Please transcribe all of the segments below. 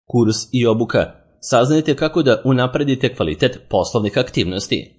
Kurs i obuka. Saznajte kako da unapredite kvalitet poslovnih aktivnosti.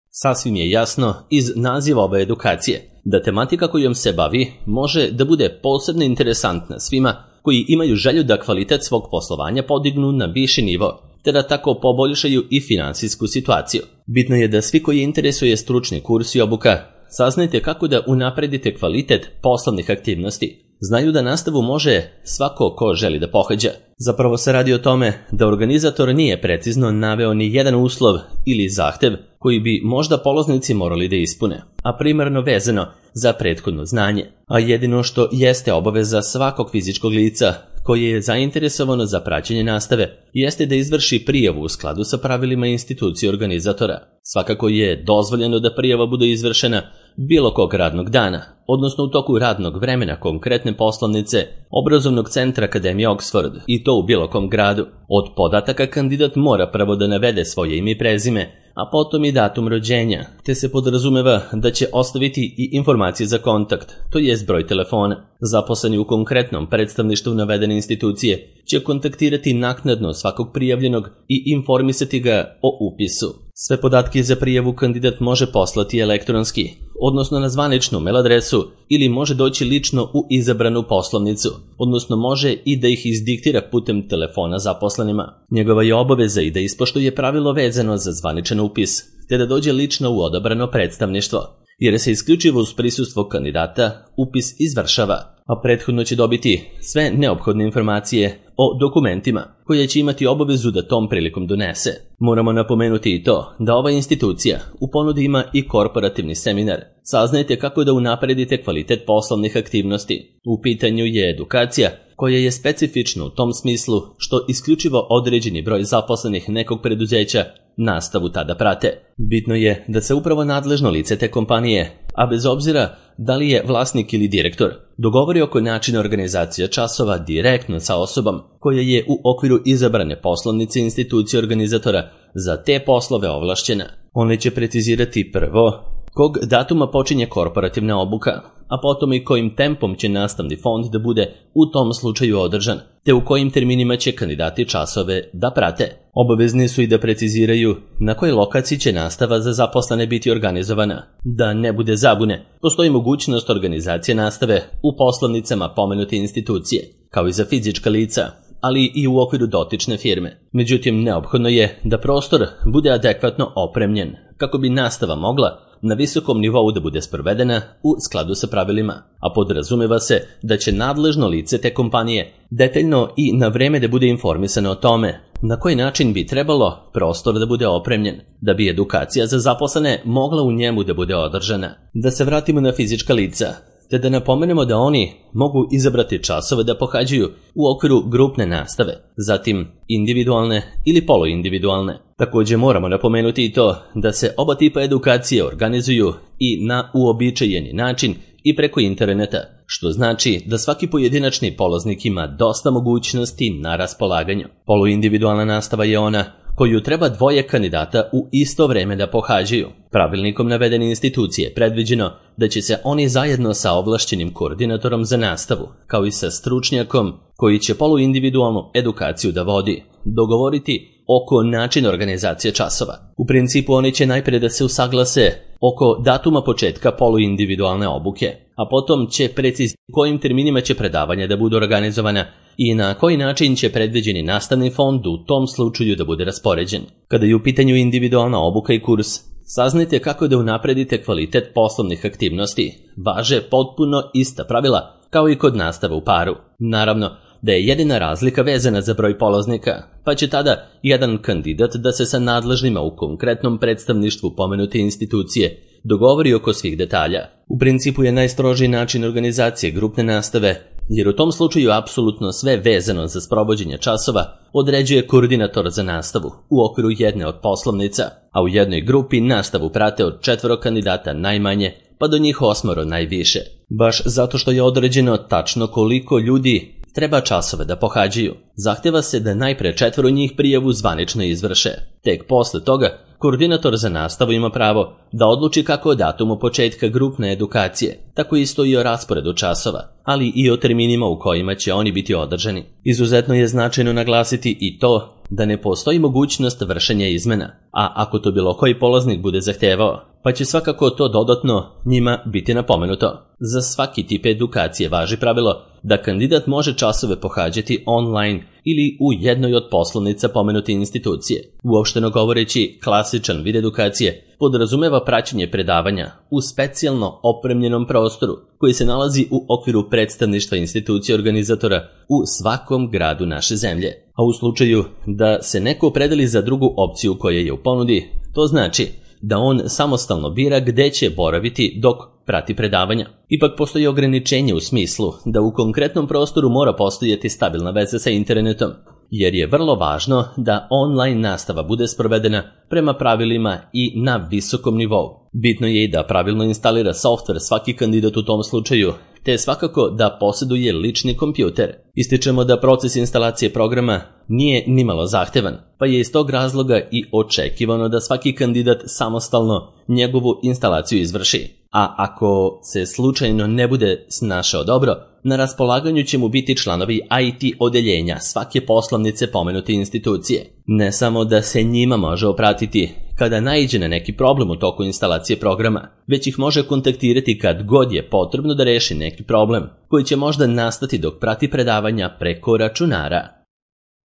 Sasvim je jasno iz naziva ove edukacije da tematika kojom se bavi može da bude posebno interesantna svima koji imaju želju da kvalitet svog poslovanja podignu na viši nivo, te da tako poboljšaju i finansijsku situaciju. Bitno je da svi koji interesuje stručni kurs i obuka saznajte kako da unapredite kvalitet poslovnih aktivnosti. Znaju da nastavu može svako ko želi da pohađa. Zapravo se radi o tome da organizator nije precizno naveo ni jedan uslov ili zahtev koji bi možda polaznici morali da ispune, a primarno vezano za prethodno znanje. A jedino što jeste obaveza svakog fizičkog lica koje je zainteresovano za praćenje nastave jeste da izvrši prijavu u skladu sa pravilima institucije organizatora. Svakako je dozvoljeno da prijava bude izvršena bilo kog radnog dana, odnosno u toku radnog vremena konkretne poslovnice obrazovnog centra Akademije Oxford, i to u bilo kom gradu. Od podataka kandidat mora prvo da navede svoje ime i prezime, a potom i datum rođenja, te se podrazumeva da će ostaviti i informacije za kontakt, to jest broj telefona. Zaposleni u konkretnom predstavništvu navedene institucije će kontaktirati naknadno svakog prijavljenog i informisati ga o upisu. Sve podatke za prijavu kandidat može poslati elektronski, odnosno na zvaničnu mail adresu, ili može doći lično u izabranu poslovnicu, odnosno može i da ih izdiktira putem telefona zaposlenima. Njegova je obaveza i da ispoštuje pravilo vezano za zvaničan upis, te da dođe lično u odabrano predstavništvo, jer se isključivo uz prisustvo kandidata upis izvršava, a prethodno će dobiti sve neophodne informacije o dokumentima koje će imati obavezu da tom prilikom donese. Moramo napomenuti i to da ova institucija u ponudi ima i korporativni seminar. Saznajte kako da unapredite kvalitet poslovnih aktivnosti. U pitanju je edukacija koja je specifična u tom smislu što isključivo određeni broj zaposlenih nekog preduzeća nastavu tada prate. Bitno je da se upravo nadležno lice te kompanije, a bez obzira da li je vlasnik ili direktor, dogovori oko načina organizacije časova direktno sa osobom koja je u okviru izabrane poslovnice institucije organizatora za te poslove ovlašćena. One će precizirati prvo kog datuma počinje korporativna obuka, a potom i kojim tempom će nastavni fond da bude u tom slučaju održan, te u kojim terminima će kandidati časove da prate. Obavezni su i da preciziraju na kojoj lokaciji će nastava za zaposlene biti organizovana. Da ne bude zabune, postoji mogućnost organizacije nastave u poslovnicama pomenute institucije, kao i za fizička lica, ali i u okviru dotične firme. Međutim, neophodno je da prostor bude adekvatno opremljen, kako bi nastava mogla na visokom nivou da bude sprovedena u skladu sa pravilima, a podrazumeva se da će nadležno lice te kompanije detaljno i na vreme da bude informisano o tome na koji način bi trebalo prostor da bude opremljen, da bi edukacija za zaposlene mogla u njemu da bude održana. Da se vratimo na fizička lica, te da napomenemo da oni mogu izabrati časove da pohađaju u okviru grupne nastave, zatim individualne ili poluindividualne. Također moramo napomenuti i to da se oba tipa edukacije organizuju i na uobičajeni način i preko interneta, što znači da svaki pojedinačni polaznik ima dosta mogućnosti na raspolaganju. Poluindividualna nastava je ona koju treba dvoje kandidata u isto vreme da pohađaju. Pravilnikom navedene institucije predviđeno da će se oni zajedno sa ovlašćenim koordinatorom za nastavu, kao i sa stručnjakom koji će poluindividualnu edukaciju da vodi, dogovoriti oko načina organizacije časova. U principu oni će najprije da se usaglase oko datuma početka poluindividualne obuke, a potom će precizirati kojim terminima će predavanja da budu organizovana i na koji način će predviđeni nastavni fond u tom slučaju da bude raspoređen. Kada je u pitanju individualna obuka i kurs, saznajte kako da unapredite kvalitet poslovnih aktivnosti. Važe potpuno ista pravila kao i kod nastave u paru. Naravno da je jedina razlika vezana za broj polaznika, pa će tada jedan kandidat da se sa nadležnima u konkretnom predstavništvu pomenute institucije dogovori oko svih detalja. U principu je najstrožiji način organizacije grupne nastave, jer u tom slučaju apsolutno sve vezano za sprovođenje časova određuje koordinator za nastavu u okviru jedne od poslovnica, a u jednoj grupi nastavu prate od 4 kandidata najmanje, pa do njih 8 najviše. Baš zato što je određeno tačno koliko ljudi treba časove da pohađaju, zahteva se da najpre 4 njih prijavu zvanično izvrše. Tek posle toga koordinator za nastavu ima pravo da odluči kako o datumu početka grupne edukacije, tako isto i o rasporedu časova, ali i o terminima u kojima će oni biti održani. Izuzetno je značajno naglasiti i to da ne postoji mogućnost vršenja izmena, a ako to bilo koji polaznik bude zahtevao, pa će svakako to dodatno njima biti napomenuto. Za svaki tip edukacije važi pravilo da kandidat može časove pohađati online ili u jednoj od poslovnica pomenute institucije. Uopšteno govoreći, klasičan vid edukacije podrazumeva praćenje predavanja u specijalno opremljenom prostoru koji se nalazi u okviru predstavništva institucije organizatora u svakom gradu naše zemlje. A u slučaju da se neko opredeli za drugu opciju koja je u ponudi, to znači da on samostalno bira gde će boraviti dok prati predavanja. Ipak postoji ograničenje u smislu da u konkretnom prostoru mora postojati stabilna veza sa internetom, jer je vrlo važno da online nastava bude sprovedena prema pravilima i na visokom nivou. Bitno je i da pravilno instalira softver svaki kandidat u tom slučaju, te svakako da posjeduje lični kompjuter. Ističemo da proces instalacije programa nije nimalo zahtevan, pa je iz tog razloga i očekivano da svaki kandidat samostalno njegovu instalaciju izvrši. A ako se slučajno ne bude snašao dobro, na raspolaganju će mu biti članovi IT odeljenja svake poslovnice pomenute institucije. Ne samo da se njima može opratiti kada naiđe na neki problem u toku instalacije programa, već ih može kontaktirati kad god je potrebno da reši neki problem, koji će možda nastati dok prati predavanja preko računara.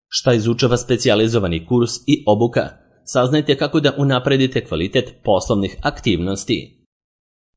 Šta izučava specijalizovani kurs i obuka? Saznajte kako da unapredite kvalitet poslovnih aktivnosti.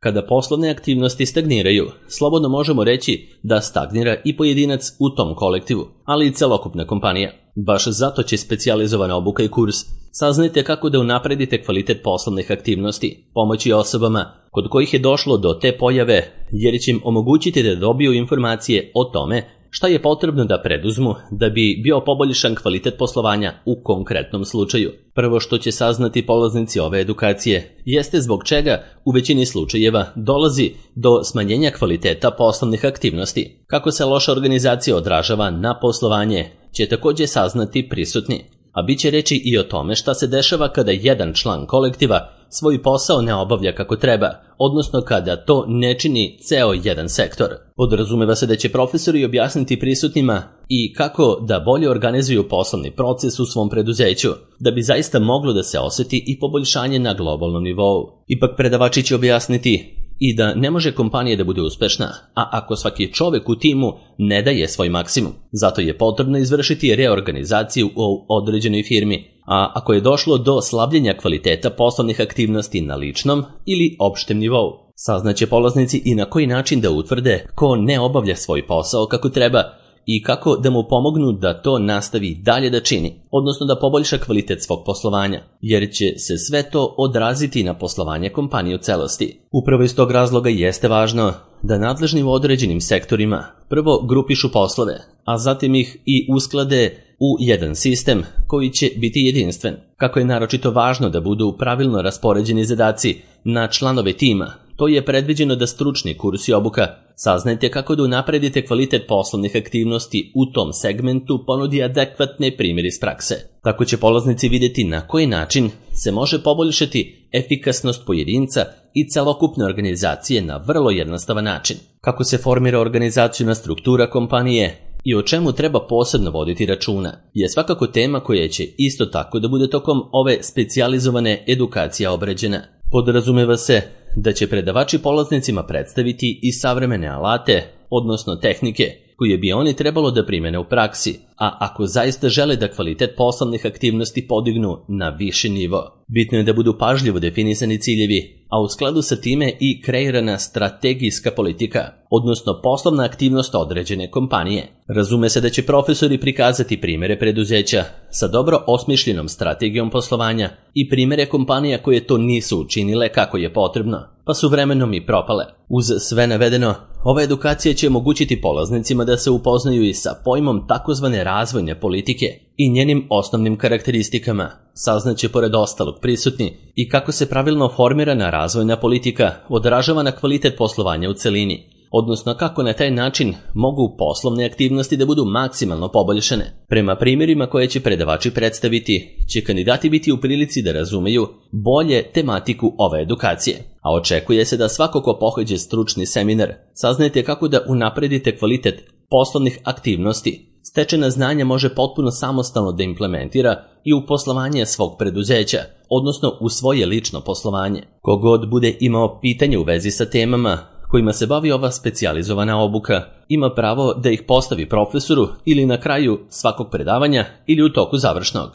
Kada poslovne aktivnosti stagniraju, slobodno možemo reći da stagnira i pojedinac u tom kolektivu, ali i celokupna kompanija. Baš zato će specijalizovana obuka i kurs saznajte kako da unapredite kvalitet poslovnih aktivnosti, pomoći osobama kod kojih je došlo do te pojave, jer će im omogućiti da dobiju informacije o tome šta je potrebno da preduzmu da bi bio poboljšan kvalitet poslovanja u konkretnom slučaju. Prvo što će saznati polaznici ove edukacije jeste zbog čega u većini slučajeva dolazi do smanjenja kvaliteta poslovnih aktivnosti. Kako se loša organizacija odražava na poslovanje će također saznati prisutni, a bit će reći i o tome šta se dešava kada jedan član kolektiva svoj posao ne obavlja kako treba, odnosno kada to ne čini ceo jedan sektor. Podrazumeva se da će profesori objasniti prisutnima i kako da bolje organizuju poslovni proces u svom preduzeću, da bi zaista moglo da se osjeti i poboljšanje na globalnom nivou. Ipak predavači će objasniti i da ne može kompanija da bude uspešna, a ako svaki čovek u timu ne daje svoj maksimum. Zato je potrebno izvršiti reorganizaciju u određenoj firmi, a ako je došlo do slabljenja kvaliteta poslovnih aktivnosti na ličnom ili opštem nivou, saznaće polaznici i na koji način da utvrde ko ne obavlja svoj posao kako treba i kako da mu pomognu da to nastavi dalje da čini, odnosno da poboljša kvalitet svog poslovanja, jer će se sve to odraziti na poslovanje kompanije u celosti. Upravo iz tog razloga jeste važno da nadležni u određenim sektorima prvo grupišu poslove, a zatim ih i usklade u jedan sistem koji će biti jedinstven. Kako je naročito važno da budu pravilno raspoređeni zadaci na članove tima, to je predviđeno da stručni kurs i obuka saznajte kako da unapredite kvalitet poslovnih aktivnosti u tom segmentu ponudi adekvatne primjere iz prakse. Tako će polaznici vidjeti na koji način se može poboljšati efikasnost pojedinca i celokupne organizacije na vrlo jednostavan način. Kako se formira organizacijona struktura kompanije i o čemu treba posebno voditi računa je svakako tema koja će isto tako da bude tokom ove specijalizovane edukacije obrađena. Podrazumeva se da će predavači polaznicima predstaviti i savremene alate, odnosno tehnike, koje bi oni trebalo da primene u praksi, a ako zaista žele da kvalitet poslovnih aktivnosti podignu na viši nivo. Bitno je da budu pažljivo definisani ciljevi, a u skladu sa time i kreirana strategijska politika, odnosno poslovna aktivnost određene kompanije. Razume se da će profesori prikazati primere preduzeća sa dobro osmišljenom strategijom poslovanja i primere kompanija koje to nisu učinile kako je potrebno, pa su vremenom i propale. Uz sve navedeno, ova edukacija će omogućiti polaznicima da se upoznaju i sa pojmom takozvane razvojne politike i njenim osnovnim karakteristikama. Saznaće pored ostalog prisutni i kako se pravilno formirana razvojna politika odražava na kvalitet poslovanja u celini, odnosno kako na taj način mogu poslovne aktivnosti da budu maksimalno poboljšane. Prema primjerima koje će predavači predstaviti, će kandidati biti u prilici da razumeju bolje tematiku ove edukacije, a očekuje se da svako ko pohađa stručni seminar saznajete kako da unapredite kvalitet poslovnih aktivnosti. Stečena znanja može potpuno samostalno da implementira i u poslovanje svog preduzeća, odnosno u svoje lično poslovanje. Kogod bude imao pitanje u vezi sa temama kojima se bavi ova specijalizovana obuka, ima pravo da ih postavi profesoru ili na kraju svakog predavanja ili u toku završnog.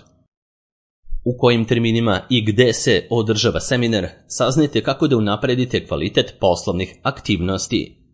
U kojim terminima i gde se održava seminar, saznajte kako da unapredite kvalitet poslovnih aktivnosti.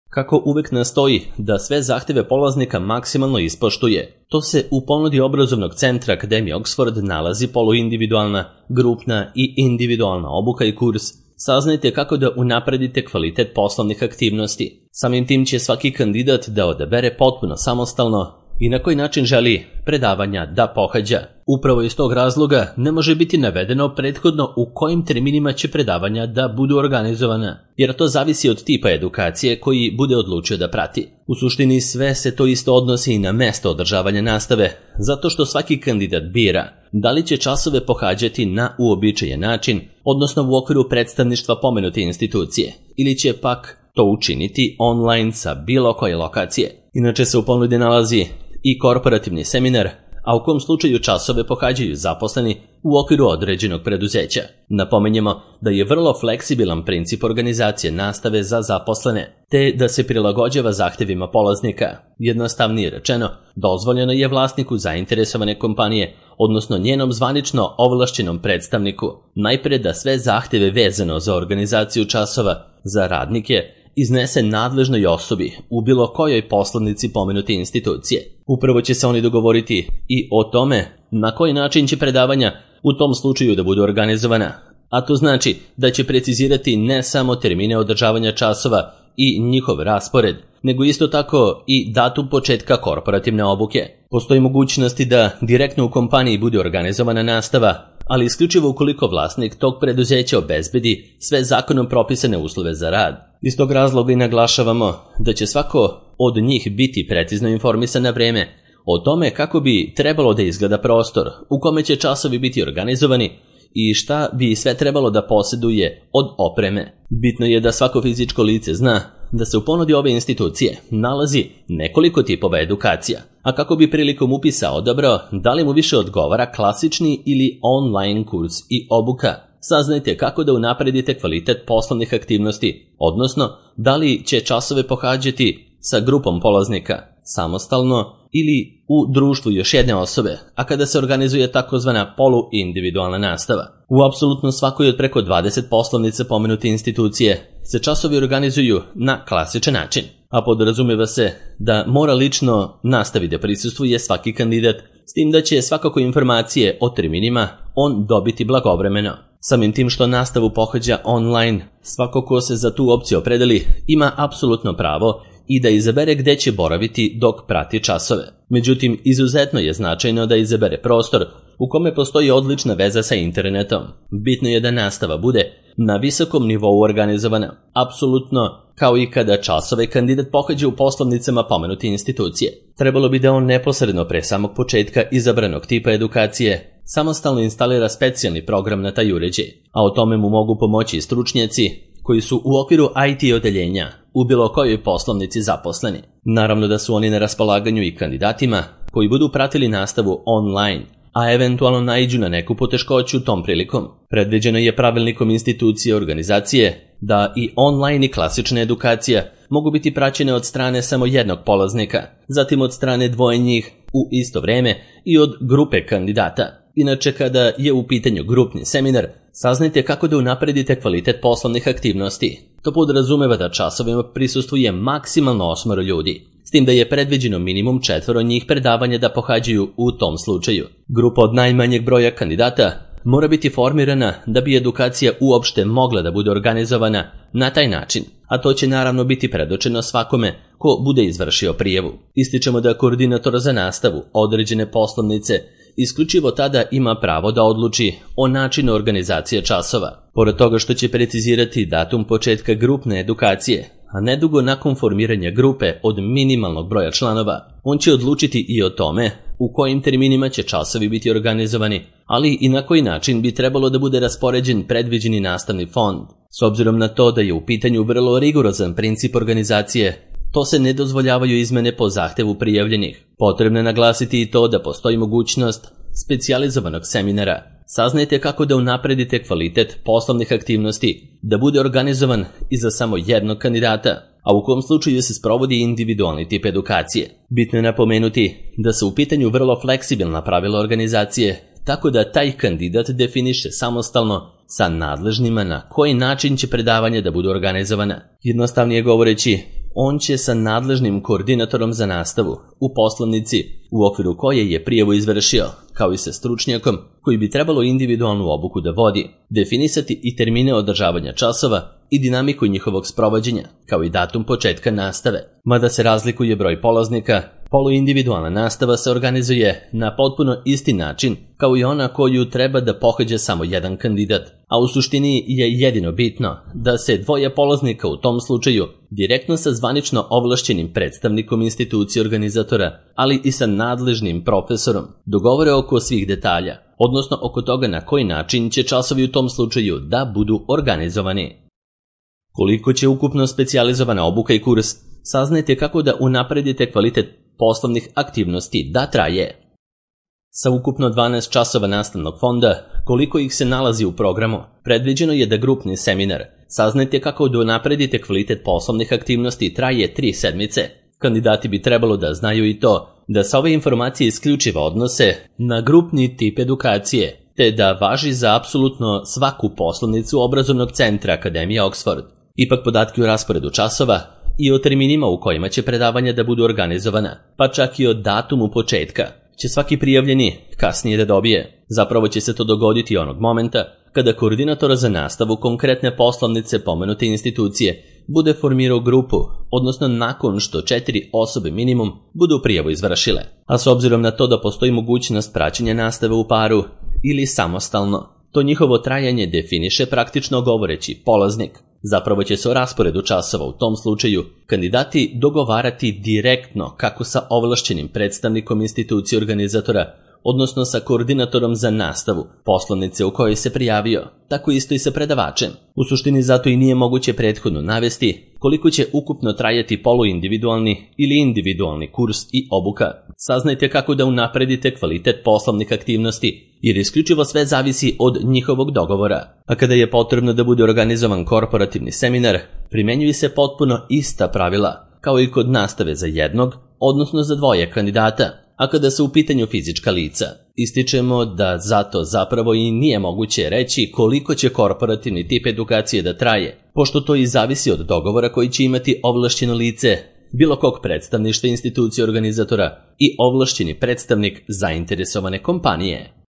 Kako uvek nastoji da sve zahteve polaznika maksimalno ispoštuje, to se u ponudi obrazovnog centra Akademije Oxford nalazi poluindividualna, grupna i individualna obuka i kurs. Saznajte kako da unapredite kvalitet poslovnih aktivnosti. Samim tim će svaki kandidat da odabere potpuno samostalno i na koji način želi predavanja da pohađa. Upravo iz tog razloga ne može biti navedeno prethodno u kojim terminima će predavanja da budu organizovana, jer to zavisi od tipa edukacije koji bude odlučio da prati. U suštini sve se to isto odnosi i na mesto održavanja nastave, zato što svaki kandidat bira da li će časove pohađati na uobičajen način, odnosno u okviru predstavništva pomenute institucije, ili će pak to učiniti online sa bilo koje lokacije. Inače se u ponudi nalazi i korporativni seminar, a u kom slučaju časove pohađaju zaposleni u okviru određenog preduzeća. Napominjemo da je vrlo fleksibilan princip organizacije nastave za zaposlene, te da se prilagođava zahtevima polaznika. Jednostavnije rečeno, dozvoljeno je vlasniku zainteresovane kompanije, odnosno njenom zvanično ovlašćenom predstavniku, najpre da sve zahteve vezano za organizaciju časova za radnike iznese nadležnoj osobi u bilo kojoj poslovnici pomenute institucije. Upravo će se oni dogovoriti i o tome na koji način će predavanja u tom slučaju da budu organizovana, a to znači da će precizirati ne samo termine održavanja časova i njihov raspored, nego isto tako i datum početka korporativne obuke. Postoji mogućnosti da direktno u kompaniji bude organizovana nastava, ali isključivo ukoliko vlasnik tog preduzeća obezbedi sve zakonom propisane uslove za rad. Iz tog razloga i naglašavamo da će svako od njih biti precizno informisan na vreme o tome kako bi trebalo da izgleda prostor, u kome će časovi biti organizovani i šta bi sve trebalo da posjeduje od opreme. Bitno je da svako fizičko lice zna da se u ponudi ove institucije nalazi nekoliko tipova edukacija, a kako bi prilikom upisa odabrao da li mu više odgovara klasični ili online kurs i obuka. Saznajte kako da unapredite kvalitet poslovnih aktivnosti, odnosno da li će časove pohađati sa grupom polaznika, samostalno ili u društvu još jedne osobe, a kada se organizuje takozvana poluindividualna nastava. U apsolutno svakoj od preko 20 poslovnica pomenute institucije se časovi organizuju na klasičan način, a podrazumeva se da mora lično nastavi da prisustvuje svaki kandidat, s tim da će svakako informacije o terminima on dobiti blagovremeno. Samim tim što nastavu pohađa online, svako ko se za tu opciju opredeli ima apsolutno pravo i da izabere gde će boraviti dok prati časove. Međutim, izuzetno je značajno da izabere prostor u kome postoji odlična veza sa internetom. Bitno je da nastava bude na visokom nivou organizovana, apsolutno kao i kada časove kandidat pohađa u poslovnicama pomenute institucije. Trebalo bi da on neposredno pre samog početka izabranog tipa edukacije samostalno instalira specijalni program na taj uređaj, a o tome mu mogu pomoći stručnjaci koji su u okviru IT odeljenja u bilo kojoj poslovnici zaposleni. Naravno da su oni na raspolaganju i kandidatima koji budu pratili nastavu online, a eventualno naiđu na neku poteškoću tom prilikom. Predviđeno je pravilnikom institucije organizacije da i online i klasična edukacija mogu biti praćene od strane samo jednog polaznika, zatim od strane dvoje njih u isto vreme i od grupe kandidata. Inače, kada je u pitanju grupni seminar, saznajte kako da unapredite kvalitet poslovnih aktivnosti. To podrazumeva da časovima prisustvuje maksimalno 8 ljudi, s tim da je predviđeno minimum 4 njih predavanja da pohađaju u tom slučaju. Grupa od najmanjeg broja kandidata mora biti formirana da bi edukacija uopšte mogla da bude organizovana na taj način, a to će naravno biti predočeno svakome ko bude izvršio prijavu. Ističemo da koordinator za nastavu određene poslovnice isključivo tada ima pravo da odluči o načinu organizacije časova. Pored toga što će precizirati datum početka grupne edukacije, a nedugo nakon formiranja grupe od minimalnog broja članova, on će odlučiti i o tome u kojim terminima će časovi biti organizovani, ali i na koji način bi trebalo da bude raspoređen predviđeni nastavni fond. S obzirom na to da je u pitanju vrlo rigorozan princip organizacije, to se ne dozvoljavaju izmene po zahtevu prijavljenih. Potrebno je naglasiti i to da postoji mogućnost specijalizovanog seminara. Saznajte kako da unapredite kvalitet poslovnih aktivnosti, da bude organizovan i za samo jednog kandidata, a u kom slučaju se sprovodi individualni tip edukacije. Bitno je napomenuti da su u pitanju vrlo fleksibilna pravila organizacije, tako da taj kandidat definiše samostalno sa nadležnima na koji način će predavanja da budu organizovana. Jednostavnije govoreći, on će sa nadležnim koordinatorom za nastavu u poslovnici u okviru koje je prijavu izvršio, kao i sa stručnjakom koji bi trebalo individualnu obuku da vodi, definisati i termine održavanja časova i dinamiku njihovog sprovođenja, kao i datum početka nastave. Mada se razlikuje broj polaznika, poluindividualna nastava se organizuje na potpuno isti način kao i ona koju treba da pohađa samo jedan kandidat, a u suštini je jedino bitno da se dvoje polaznika u tom slučaju direktno sa zvanično ovlašćenim predstavnikom institucije organizatora, ali i sa nadležnim profesorom, dogovore oko svih detalja, odnosno oko toga na koji način će časovi u tom slučaju da budu organizovani. Koliko će ukupno specijalizovana obuka i kurs, saznajte kako da unapredite kvalitet poslovnih aktivnosti da traje. Sa ukupno 12 časova nastavnog fonda, koliko ih se nalazi u programu, predviđeno je da grupni seminar saznajte kako da unapredite kvalitet poslovnih aktivnosti traje 3 sedmice. Kandidati bi trebalo da znaju i to da se ove informacije isključivo odnose na grupni tip edukacije, te da važi za apsolutno svaku poslovnicu obrazovnog centra Akademije Oxford. Ipak podatke o rasporedu časova i o terminima u kojima će predavanja da budu organizovana, pa čak i o datumu početka, će svaki prijavljeni kasnije da dobije. Zapravo će se to dogoditi onog momenta kada koordinator za nastavu konkretne poslovnice pomenute institucije bude formirao grupu, odnosno nakon što 4 osobe minimum budu prijavu izvršile. A s obzirom na to da postoji mogućnost praćenja nastave u paru ili samostalno, to njihovo trajanje definiše praktično govoreći polaznik. Zapravo će se o rasporedu časova u tom slučaju kandidati dogovarati direktno kako sa ovlašćenim predstavnikom institucije organizatora, odnosno sa koordinatorom za nastavu poslovnice u kojoj se prijavio, tako isto i sa predavačem. U suštini zato i nije moguće prethodno navesti koliko će ukupno trajati poluindividualni ili individualni kurs i obuka. Saznajte kako da unapredite kvalitet poslovnih aktivnosti, jer isključivo sve zavisi od njihovog dogovora. A kada je potrebno da bude organizovan korporativni seminar, primenjuju se potpuno ista pravila, kao i kod nastave za jednog, odnosno za dvoje kandidata. A kada su u pitanju fizička lica, ističemo da zato zapravo i nije moguće reći koliko će korporativni tip edukacije da traje, pošto to i zavisi od dogovora koji će imati ovlašćeno lice bilo kog predstavništva institucije organizatora i ovlašćeni predstavnik zainteresovane kompanije.